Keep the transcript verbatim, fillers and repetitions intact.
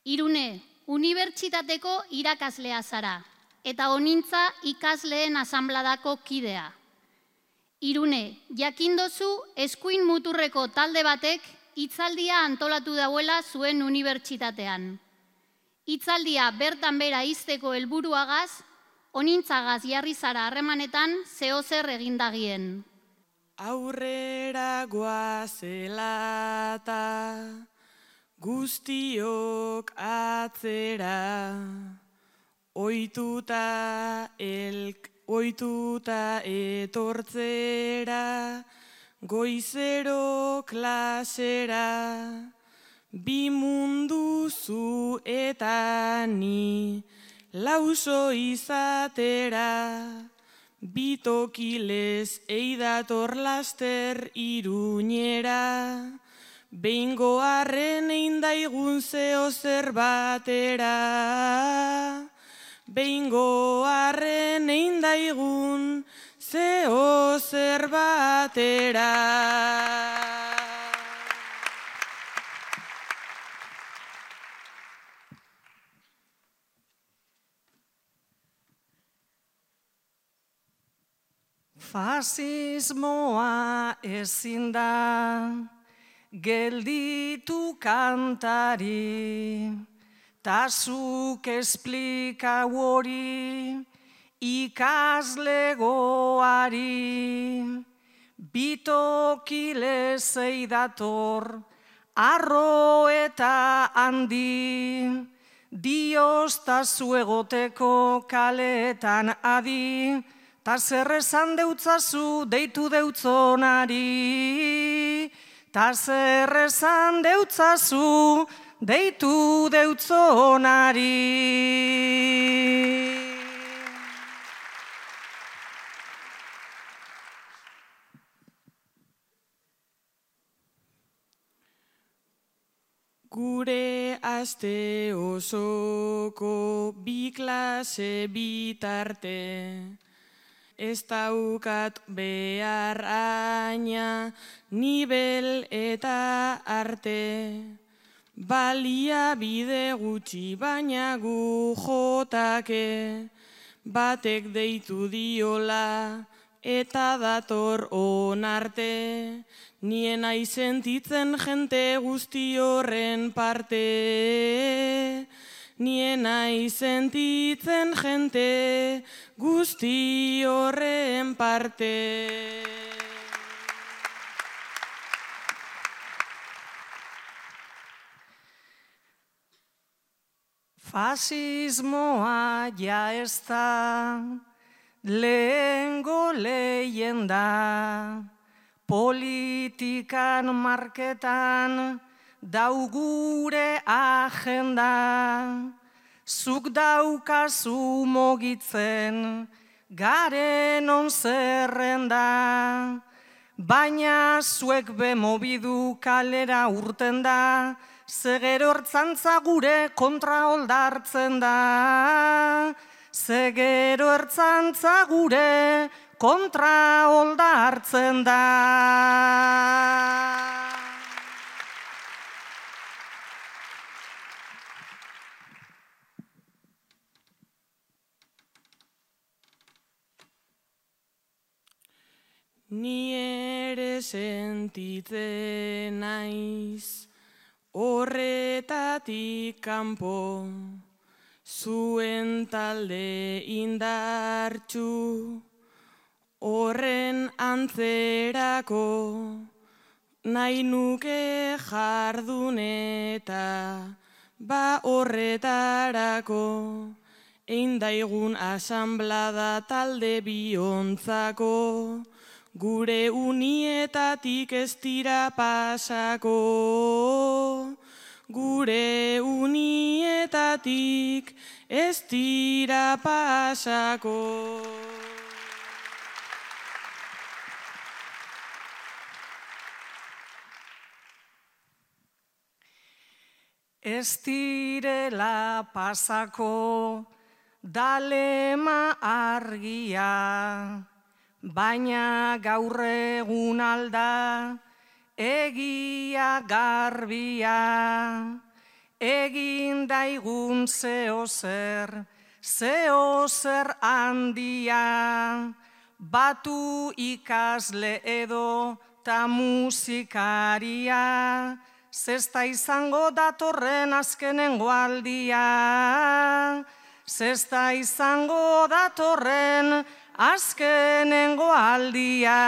Irune, unibertsitateko irakaslea zara, eta honintza ikasleen asanbladako kidea. Irune, jakindozu eskuin muturreko talde batek hitzaldia antolatu dauela zuen unibertsitatean. Hitzaldia bertan bera izteko helburuagaz, honintzagaz jarri zara harremanetan zeozer egindagien. Aurrera goazelata, guztiok atzera, ohituta elk, ohituta etortzera, goizero klasera, bi mundu zu eta ni, lauso izatera, bitokilez eidator laster Iruñera, behingo arren eindaigun zeo zer batera, behingo arren eindaigun zeo zer batera. Fasismoa ezin da gelditu kantari, tasuk esplika hori ikaslegoari, bitokilez eidator arro eta handi, dioztazu egoteko kaletan adi, ta zer esan deutzazu deitu deutzonari, ta zer esan deutzazu deitu deutzonari. Gure aste osoko bi klase bitarte, ez daukat behar aina, nibel eta arte. Balia bide gutxi baina gu jotake, batek deitu diola eta dator onarte. Nien aizentitzen jente guzti horren parte, nien aizentitzen jente guzti horren parte. Fasismoa ja ez da lehengo leyenda, politikan marketan dau gure agenda, zuk daukazu mogitzen garen on zerrenda, baina zuek bemobidu kalera urten da, zegero ertzantza gure kontra oldartzen da, zegero ertzantza gure kontra oldartzen da. Ni ere sentitzen naiz horretatik kanpo, zuen talde indartsu, horren antzerako, nahi nuke jardun eta ba horretarako, eindaigun asanblada talde biontzako, gure unietatik ez dira pasako, gure unietatik ez dira pasako. Ez direla pasako dalema argia, baina gaur egun alda egia garbia, egin indaigun zeo zer, zeo zer handia, batu ikasle edo ta musikaria, zesta izango datorren azkenengo aldia, zesta izango datorren azkenengo aldia.